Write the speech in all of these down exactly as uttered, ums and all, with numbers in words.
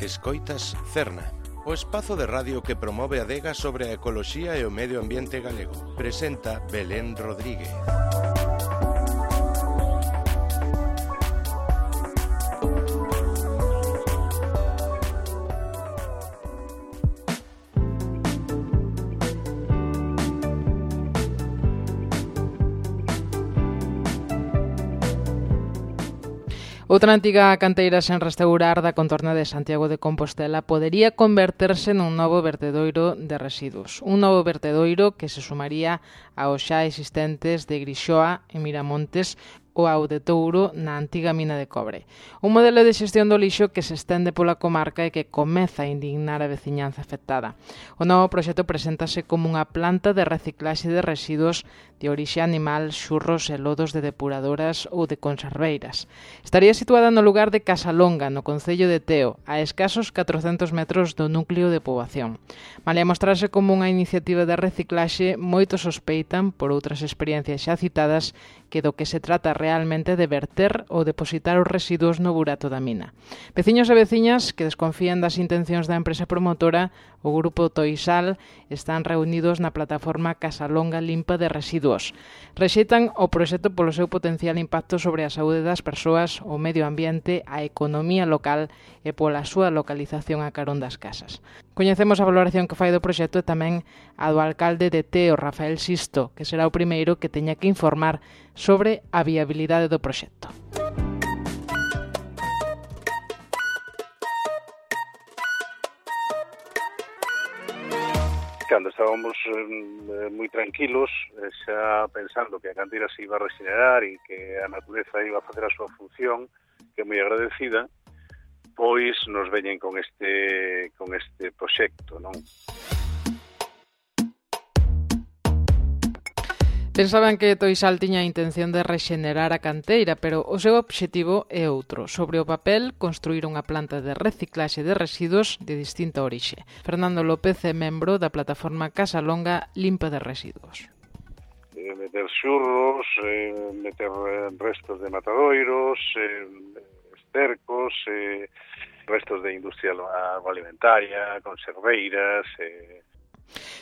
Escoitas Cerna, o espazo de radio que promove a adega sobre a ecoloxía e o medio ambiente galego. Presenta Belén Rodríguez. Outra antiga canteira sen restaurar da contorna de Santiago de Compostela podería converterse nun novo vertedoiro de residuos. Un novo vertedoiro que se sumaría aos xa existentes de Grixoa e Miramontes ou ao de Touro na antiga mina de cobre. Un modelo de xestión do lixo que se estende pola comarca e que comeza a indignar a veciñanza afectada. O novo proxecto preséntase como unha planta de reciclaxe de residuos de orixe animal, xurros e lodos de depuradoras ou de conserveiras. Estaría situada no lugar de Casalonga, no concello de Teo, a escasos catrocentos metros do núcleo de poboación. Malia mostrarse como unha iniciativa de reciclaxe, moitos sospeitan, por outras experiencias xa citadas, que do que se trata realmente de verter ou depositar os residuos no burato da mina. Veciños e veciñas que desconfían das intencións da empresa promotora, o grupo Toisal, están reunidos na plataforma Casalonga Limpa de Residuos. Rexeitan o proxecto polo seu potencial impacto sobre a saúde das persoas, o medio ambiente, a economía local e pola súa localización a carón das casas. Coñecemos a valoración que fai do proxecto e tamén a do alcalde de Teo, Rafael Sisto, que será o primeiro que teña que informar sobre a viabilidade do proxecto. Cando estábamos eh, moi tranquilos, eh, xa pensando que a canteira se iba a regenerar e que a natureza iba a facer a súa función, que é moi agradecida, pois nos veñen con este con este proxecto, non? Pensaban que Toisal tiña a intención de rexenerar a canteira, pero o seu obxectivo é outro. Sobre o papel, construir unha planta de reciclaxe de residuos de distinta orixe. Fernando López é membro da plataforma Casalonga Limpa de Residuos. Eh, meter xurros, eh, meter restos de matadoiros, eh, estercos, eh, restos de industria agroalimentaria, conserveiras... Eh,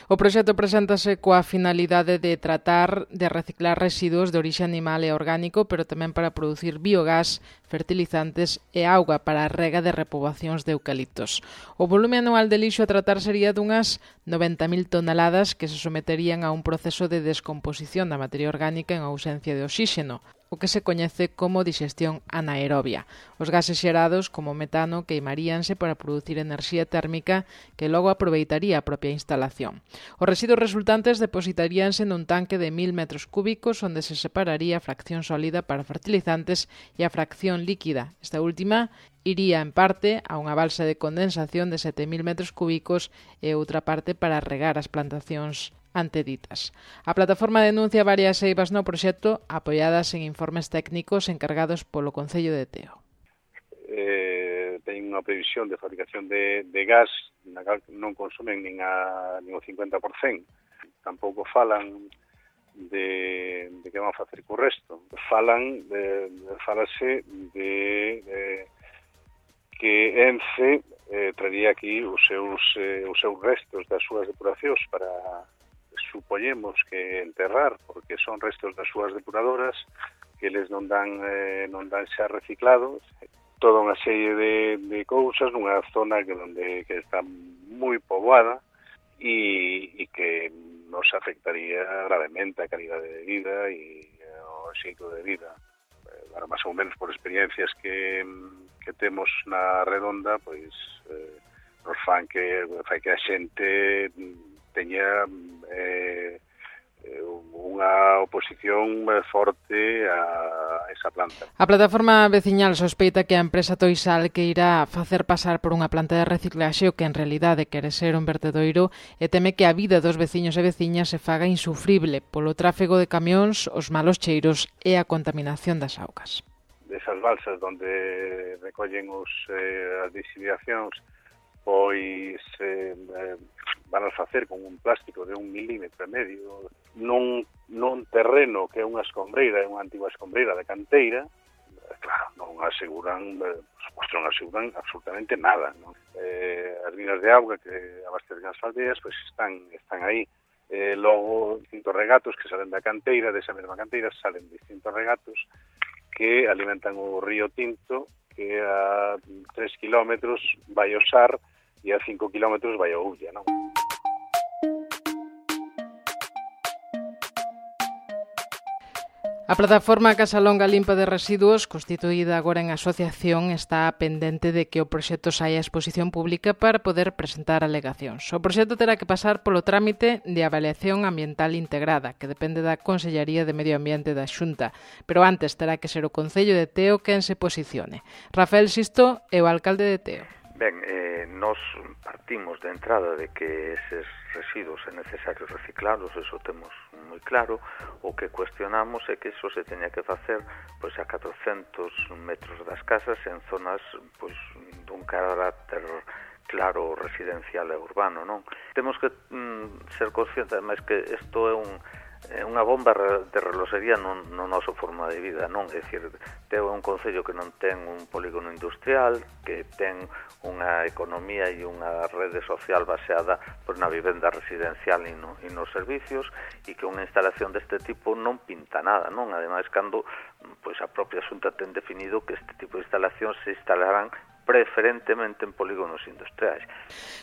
O proxecto preséntase coa finalidade de tratar de reciclar residuos de orixe animal e orgánico, pero tamén para producir biogás, fertilizantes e auga para a rega de repoboacións de eucaliptos. O volume anual de lixo a tratar sería dunhas noventa mil toneladas que se someterían a un proceso de descomposición da materia orgánica en ausencia de oxíxeno, o que se coñece como digestión anaerobia. Os gases xerados, como metano, queimaríanse para producir enerxía térmica que logo aproveitaría a propia instalación. Os residuos resultantes depositaríanse nun tanque de mil metros cúbicos onde se separaría a fracción sólida para fertilizantes e a fracción líquida. Esta última iría en parte a unha balsa de condensación de sete mil metros cúbicos e outra parte para regar as plantacións anteditas. A plataforma denuncia varias eivas no proxecto apoiadas en informes técnicos encargados polo Concello de Teo. Eh, ten unha previsión de fabricación de, de gas na cal non consumen nin, a, nin o cincuenta por cento. Tampouco falan de, de que van a facer co resto. Falan de, de falase de, de que ENCE eh, traería aquí os seus, eh, os seus restos das súas depuracións para, supoñemos que enterrar, porque son restos das súas depuradoras que eles non dan eh, non dan xa reciclados, toda unha serie de, de cousas nunha zona que onde que está moi poboada e, e que nos afectaría gravemente a calidade de vida e o xeito de vida. Bueno, máis ou menos por experiencias que, que temos na redonda, pois eh, nos fan que, fai que a xente teña eh, unha oposición forte a esa planta. A plataforma veciñal sospeita que a empresa Toisal que irá facer pasar por unha planta de reciclaxe o que en realidade quere ser un vertedoiro e teme que a vida dos veciños e veciñas se faga insufrible polo tráfego de camións, os malos cheiros e a contaminación das augas. Desas balsas onde recollen os, eh, as disidacións, pois eh, van a facer con un plástico de un milímetro e medio nun, nun terreno que é unha escombreira, é unha antigua escombreira de canteira, claro, non aseguran, por suposto, non aseguran absolutamente nada, non? Eh, as líneas de auga que abastecen as aldeas, pois están, están aí. Eh, logo, distintos regatos que salen da canteira, desa mesma canteira, salen distintos regatos que alimentan o río Tinto, que a tres kilómetros vai ao Sar e a cinco kilómetros vai ao Ulla, non? A plataforma Casa Longa Limpa de Residuos, constituída agora en asociación, está pendente de que o proxecto saia a exposición pública para poder presentar alegacións. O proxecto terá que pasar polo trámite de avaliación ambiental integrada, que depende da Consellería de Medio Ambiente da Xunta, pero antes terá que ser o Concello de Teo quen se posicione. Rafael Sisto é o alcalde de Teo. Ben, eh, nos partimos de entrada de que eses residuos é necesario reciclarlos, eso temos moi claro. O que cuestionamos é que eso se teña que facer pois a catrocentos metros das casas en zonas pois dun carácter claro residencial e urbano, non? Temos que mm, ser conscientes, ademais, que isto é un é unha bomba de reloxería no, no noso forma de vida, non? É dicir, Teo é un concello que non ten un polígono industrial, que ten unha economía e unha rede social baseada pois, na vivenda residencial e, no, e nos servicios, e que unha instalación deste tipo non pinta nada, non? Ademais, cando pois, a propia Xunta ten definido que este tipo de instalacións se instalarán preferentemente en polígonos industriais.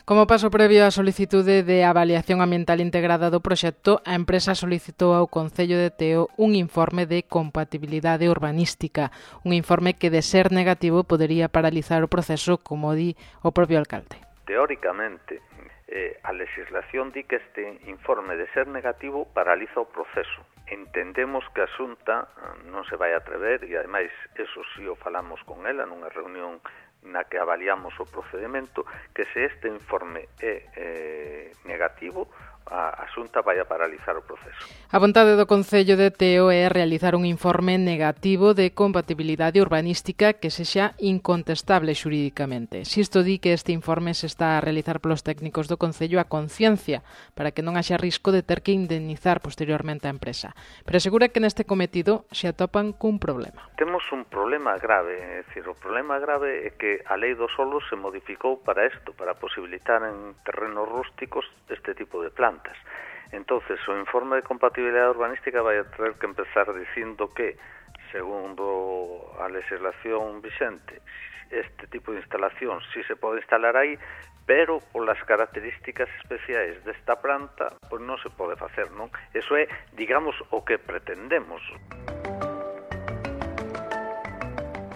Como paso previo á solicitude de avaliación ambiental integrada do proxecto, a empresa solicitou ao Concello de Teo un informe de compatibilidade urbanística, un informe que, de ser negativo, podería paralizar o proceso, como di o propio alcalde. Teóricamente, eh, a legislación di que este informe, de ser negativo, paraliza o proceso. Entendemos que a Xunta non se vai atrever, e ademais, eso si o falamos con ela nunha reunión na que avaliamos o procedimento, que se este informe é eh, negativo, a, a Xunta vai a paralizar o proceso. A vontade do Concello de Teo é realizar un informe negativo de compatibilidade urbanística que sexa incontestable xurídicamente. Sisto di que este informe se está a realizar polos técnicos do Concello a conciencia, para que non haxa risco de ter que indemnizar posteriormente a empresa. Pero asegura que neste cometido se atopan cun problema. Temos un problema grave, é dicir, o problema grave é que a lei do solo se modificou para isto, para posibilitar en terrenos rústicos este tipo de plantas. Entonces, o informe de compatibilidade urbanística vai a ter que empezar dicindo que, segundo a legislación vixente, este tipo de instalación si se pode instalar aí, pero polas características especiais desta planta, pois non se pode facer, non? Eso é, digamos, o que pretendemos.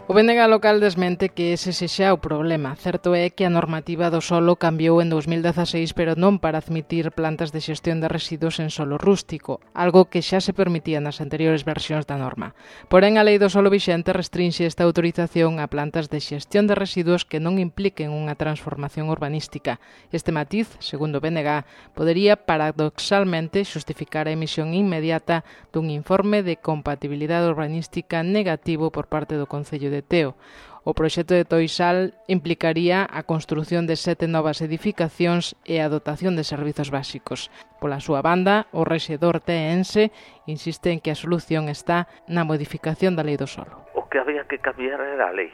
O B N G local desmente que ese sexa o problema. Certo é que a normativa do solo cambiou en dos mil dezaseis, pero non para admitir plantas de xestión de residuos en solo rústico, algo que xa se permitía nas anteriores versións da norma. Porén, a lei do solo vixente restrinxe esta autorización a plantas de xestión de residuos que non impliquen unha transformación urbanística. Este matiz, segundo o B N G, podería paradoxalmente xustificar a emisión inmediata dun informe de compatibilidade urbanística negativo por parte do Concello de Teo. O proxecto de Toisal implicaría a construción de sete novas edificacións e a dotación de servizos básicos. Pola súa banda, o rexedor teense insiste en que a solución está na modificación da lei do solo. O que había que cambiar era a lei.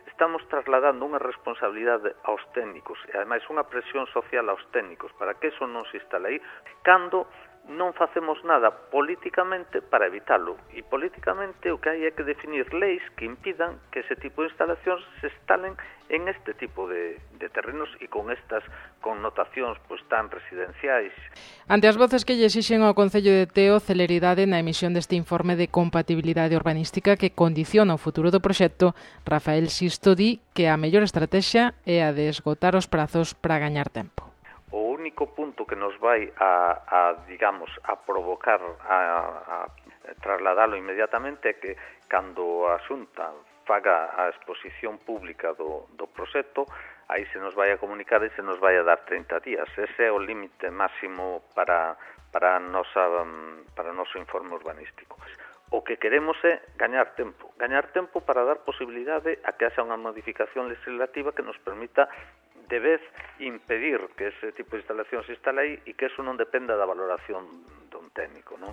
Estamos trasladando unha responsabilidade aos técnicos e, ademais, unha presión social aos técnicos para que eso non se instale aí, cando non facemos nada políticamente para evitalo. E políticamente o que hai é que definir leis que impidan que ese tipo de instalacións se instalen en este tipo de, de terrenos e con estas connotacións pois tan residenciais. Ante as voces que lle exixen ao Concello de Teo celeridade na emisión deste informe de compatibilidade urbanística que condiciona o futuro do proxecto, Rafael Sisto di que a mellor estrategia é a de esgotar os prazos para gañar tempo. O único punto que nos vai a, a digamos, a provocar a, a trasladalo inmediatamente é que cando a Xunta faga a exposición pública do, do proxecto, aí se nos vai a comunicar e se nos vai a dar trinta días. Ese é o límite máximo para, para, a nosa, para o noso informe urbanístico. O que queremos é gañar tempo, gañar tempo para dar posibilidade a que haxa unha modificación legislativa que nos permita de vez impedir que ese tipo de instalación se instale aí e que eso non dependa da valoración dun técnico, non?